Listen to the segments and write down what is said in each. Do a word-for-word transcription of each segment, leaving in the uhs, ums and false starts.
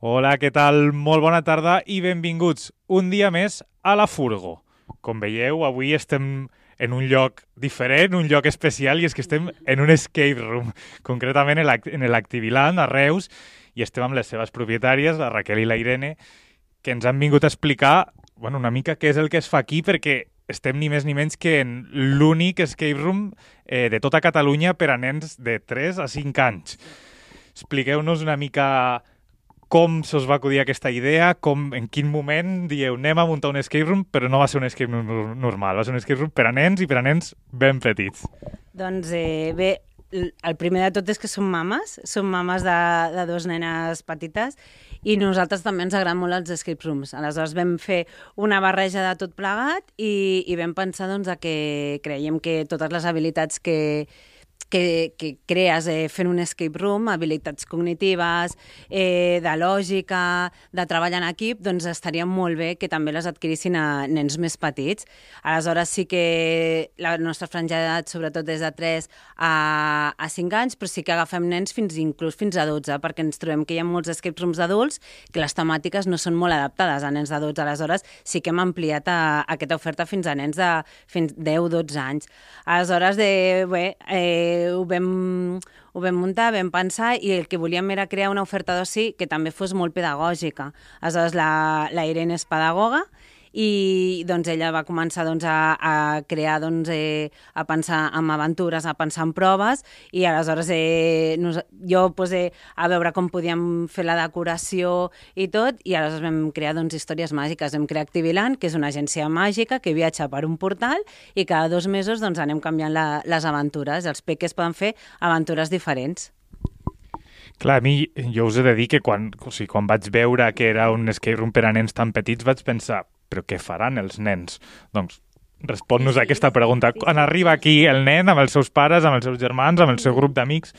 Hola, què tal? Molt bona tarda i benvinguts un dia més a la Furgo. Com veieu, avui estem en un lloc diferent, un lloc especial, i és que estem en un escape room, concretament en l'Activiland, a Reus, i estem amb les seves propietàries, la Raquel i la Irene, que ens han vingut a explicar bueno, una mica què és el que es fa aquí, perquè estem ni més ni menys que en l'únic escape room eh, de tota Catalunya per a nens de tres a cinc anys. Expliqueu-nos una mica com se us va acudir aquesta idea, com, en quin moment dieu anem a muntar un escape room, però no va ser un escape room normal, va ser un escape room per a nens i per a nens ben petits. Doncs eh, bé, el primer de tot és que som mames, som mames de, de dos nenes petites i nosaltres també ens agraden molt els escape rooms. Aleshores vam fer una barreja de tot plegat i, i vam pensar doncs, que creiem que totes les habilitats que, que, que crees eh, fent un escape room, habilitats cognitives, eh, de lògica, de treball en equip, doncs estaria molt bé que també les adquirissin a nens més petits. Aleshores sí que la nostra franja d'edat sobretot és de tres a, a cinc anys, però sí que agafem nens fins inclús fins a dotze, perquè ens trobem que hi ha molts escape rooms d'adults que les temàtiques no són molt adaptades a nens de dotze. Aleshores sí que hem ampliat a, a aquesta oferta fins a nens de fins deu dotze anys. Aleshores, de, bé, eh, Ho vam, ho vam muntar, vam pensar, i el que volíem era crear una oferta d'oci que també fos molt pedagògica. Aleshores, la, la Irene és pedagoga i doncs, ella va començar doncs, a, a crear, doncs, eh, a pensar en aventures, a pensar en proves, i aleshores eh, nos, jo pues, eh, a veure com podíem fer la decoració i tot, i aleshores vam crear doncs, històries màgiques. Vam crear Activiland, que és una agència màgica que viatja per un portal i cada dos mesos doncs, anem canviant la, les aventures. Els peques poden fer aventures diferents. Clar, a mi, jo us he de dir que quan, o sigui, quan vaig veure que era un escape room per a nens tan petits vaig pensar, però què faran els nens? Doncs respon-nos sí, a aquesta pregunta. Sí, sí. Quan arriba aquí el nen amb els seus pares, amb els seus germans, amb el seu grup d'amics,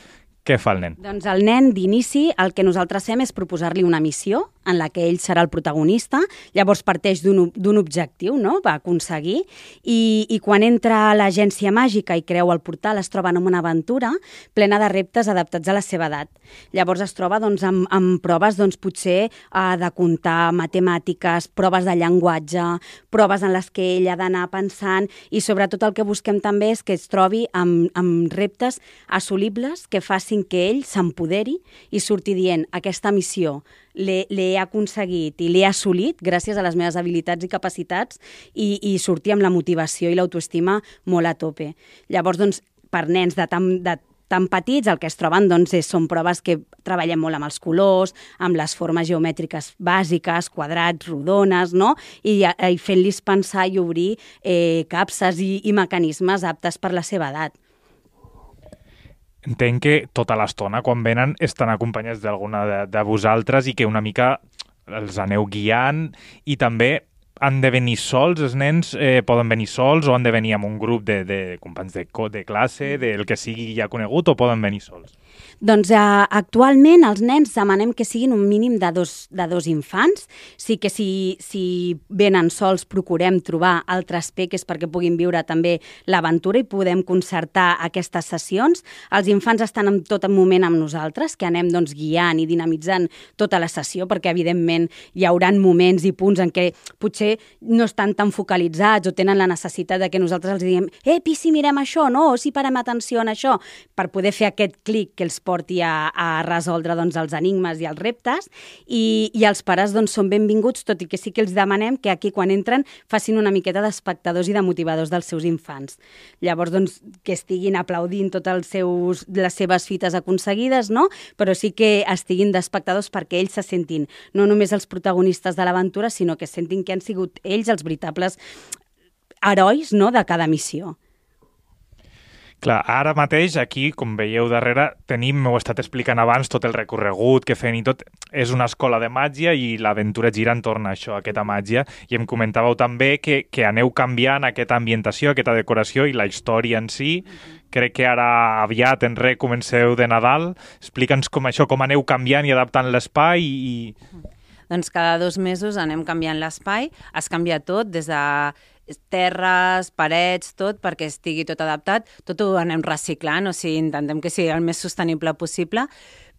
què fa el nen? Doncs el nen, d'inici, el que nosaltres fem és proposar-li una missió en la que ell serà el protagonista. Llavors parteix d'un objectiu, no?, va aconseguir, i, i quan entra a l'agència màgica i creu el portal es troba en una aventura plena de reptes adaptats a la seva edat. Llavors es troba doncs, amb, amb proves doncs, potser eh, de comptar, matemàtiques, proves de llenguatge, proves en les que ell ha d'anar pensant, i sobretot el que busquem també és que es trobi amb, amb reptes assolibles que facin que ell s'empoderi i surti dient aquesta missió l'he aconseguit i l'he assolit gràcies a les meves habilitats i capacitats, i, i sortir amb la motivació i l'autoestima molt a tope. Llavors, doncs, per nens de tan, de tan petits, el que es troben doncs, és, són proves que treballem molt amb els colors, amb les formes geomètriques bàsiques, quadrats, rodones, no? I, i fent-los pensar i obrir eh, capses i, i mecanismes aptes per la seva edat. Entenc que tota l'estona, quan venen, estan acompanyats d'alguna de, de vosaltres i que una mica els aneu guiant, i també han de venir sols, els nens eh, poden venir sols, o han de venir amb un grup de, de companys de, de classe, del que sigui ja conegut, o poden venir sols? Doncs eh, actualment els nens demanem que siguin un mínim de dos, de dos infants. Sí que si, si venen sols procurem trobar altres peques perquè puguin viure també l'aventura i podem concertar aquestes sessions. Els infants estan en tot moment amb nosaltres, que anem doncs, guiant i dinamitzant tota la sessió, perquè evidentment hi haurà moments i punts en què potser no estan tan focalitzats o tenen la necessitat de que nosaltres els diguem «Eh, si mirem això, no? O si parem atenció en això», per poder fer aquest clic que els porti a, a resoldre doncs, els enigmes i els reptes, i, i els pares doncs, són benvinguts, tot i que sí que els demanem que aquí quan entren facin una miqueta d'espectadors i de motivadors dels seus infants. Llavors, doncs, que estiguin aplaudint totes seus, les seves fites aconseguides, no? Però sí que estiguin d'espectadors perquè ells se sentin no només els protagonistes de l'aventura, sinó que sentin que han sigut ells els veritables herois, no?, de cada missió. Clar, ara mateix aquí, com veieu darrere, tenim, m'ho he estat explicant abans, tot el recorregut que fem i tot. És una escola de màgia i l'aventura gira entorn a això, a aquesta màgia. I em comentàveu també que, que aneu canviant aquesta ambientació, aquesta decoració i la història en si. Crec que ara aviat en res comenceu de Nadal. Explica'ns com això, com aneu canviant i adaptant l'espai i... Doncs cada dos mesos anem canviant l'espai, es canvia tot, des de terres, parets, tot, perquè estigui tot adaptat. Tot ho anem reciclant, o sigui, intentem que sigui el més sostenible possible,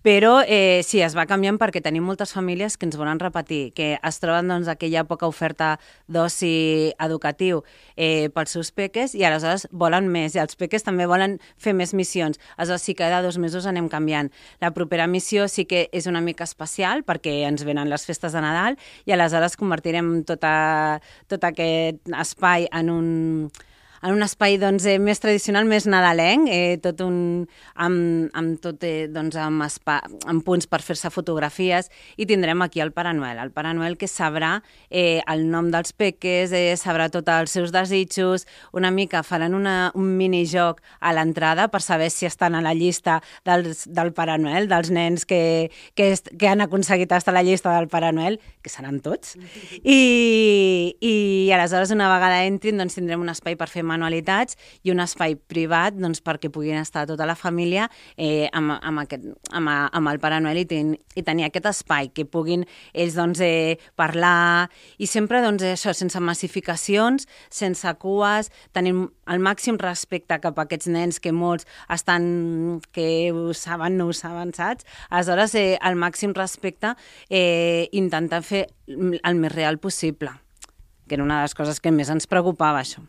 Però eh, sí, es va canviant perquè tenim moltes famílies que ens volen repetir, que es troben doncs, aquella poca oferta d'oci educatiu eh, pels seus peques i aleshores volen més, i els peques també volen fer més missions. Aleshores sí que cada dos mesos anem canviant. La propera missió sí que és una mica especial perquè ens venen les festes de Nadal i aleshores convertirem tota, tot aquest espai en un en un espai doncs, eh, més tradicional, més nadalenc, eh, tot un, amb, amb, tot, eh, doncs, amb, espa, amb punts per fer-se fotografies, i tindrem aquí el Pare Noel, el Pare Noel que sabrà eh, el nom dels peques, eh, sabrà tots els seus desitjos, una mica faran una, un minijoc a l'entrada per saber si estan a la llista dels, del Pare Noel, dels nens que, que, est, que han aconseguit estar a la llista del Pare Noel, que seran tots, i, i aleshores una vegada entrin doncs, tindrem un espai per fer manualitats i un espai privat doncs, perquè puguin estar tota la família eh, amb, amb, aquest, amb, amb el Pare Noel i, ten, i tenir aquest espai, que puguin ells doncs, eh, parlar i sempre doncs, això, sense massificacions, sense cues, tenim el màxim respecte cap a aquests nens que molts estan, que ho saben, no ho saben, saps? Aleshores, eh, el màxim respecte eh, intentar fer el més real possible, que era una de les coses que més ens preocupava, això.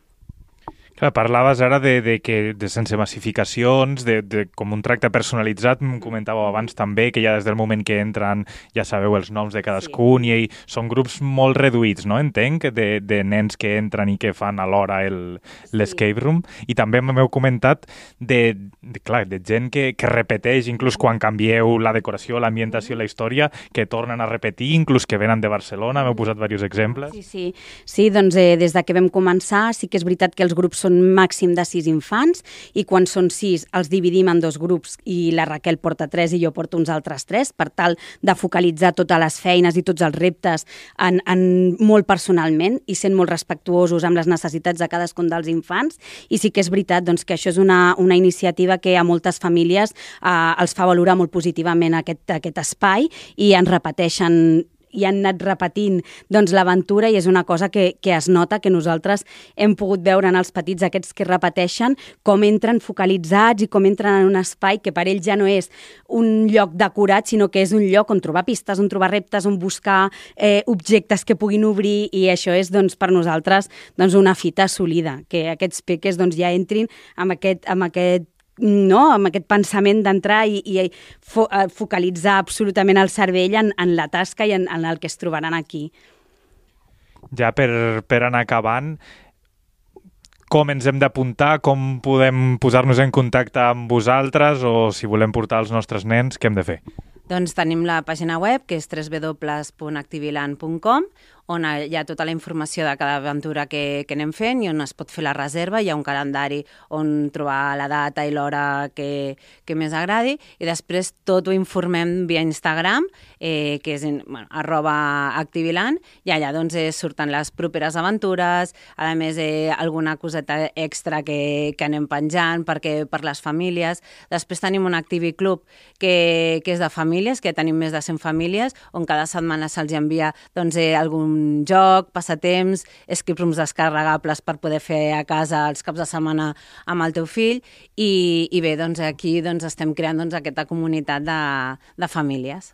Clar, parlaves ara de, de que de sense massificacions, de, de com un tracte personalitzat, em comentàveu abans també que ja des del moment que entren ja sabeu els noms de cadascun sí. I són grups molt reduïts, no? Entenc, de, de nens que entren i que fan alhora el, sí. l'escape room. I també m'heu comentat de, de, clar, de gent que, que repeteix, inclús quan canvieu la decoració, l'ambientació, la història, que tornen a repetir, inclús que venen de Barcelona. M'heu posat diversos exemples. Sí, sí. Sí, doncs eh, des de que vam començar sí que és veritat que els grups són màxim de sis infants i quan són sis els dividim en dos grups i la Raquel porta tres i jo porto uns altres tres per tal de focalitzar totes les feines i tots els reptes en, en molt personalment i sent molt respectuosos amb les necessitats de cadascun dels infants i sí que és veritat doncs, que això és una, una iniciativa que a moltes famílies eh, els fa valorar molt positivament aquest, aquest espai i ens repeteixen i han anat repetint doncs, l'aventura i és una cosa que, que es nota que nosaltres hem pogut veure en els petits aquests que repeteixen com entren focalitzats i com entren en un espai que per ells ja no és un lloc decorat sinó que és un lloc on trobar pistes, on trobar reptes, on buscar eh, objectes que puguin obrir i això és doncs, per nosaltres doncs, una fita assolida, que aquests peques doncs, ja entrin amb aquest, amb aquest no, amb aquest pensament d'entrar i, i fo, focalitzar absolutament el cervell en, en la tasca i en, en el que es trobaran aquí. Ja per, per anar acabant, com ens hem d'apuntar, com podem posar-nos en contacte amb vosaltres o si volem portar els nostres nens, què hem de fer? Doncs tenim la pàgina web, que és w w w punt activiland punt com, on hi ha tota la informació de cada aventura que, que anem fent i on es pot fer la reserva. Hi ha un calendari on trobar la data i l'hora que, que més agradi i després tot ho informem via Instagram, eh, que és bueno, arroba activiland, i allà doncs, eh, surten les properes aventures, a més eh, alguna coseta extra que, que anem penjant perquè per les famílies. Després tenim un Activi Club que, que és de famílies, que tenim més de cent famílies, on cada setmana se'ls envia doncs, eh, algun joc, passatemps, escape rooms descarregables per poder fer a casa els caps de setmana amb el teu fill i, i bé, doncs aquí doncs, estem creant doncs, aquesta comunitat de, de famílies.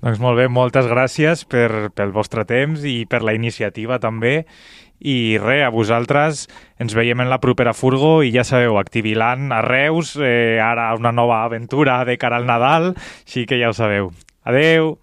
Doncs molt bé, moltes gràcies per, pel vostre temps i per la iniciativa també. I res, a vosaltres ens veiem en la propera furgo i ja sabeu, Activiland a Reus, eh, ara una nova aventura de cara al Nadal, així que ja ho sabeu. Adeu!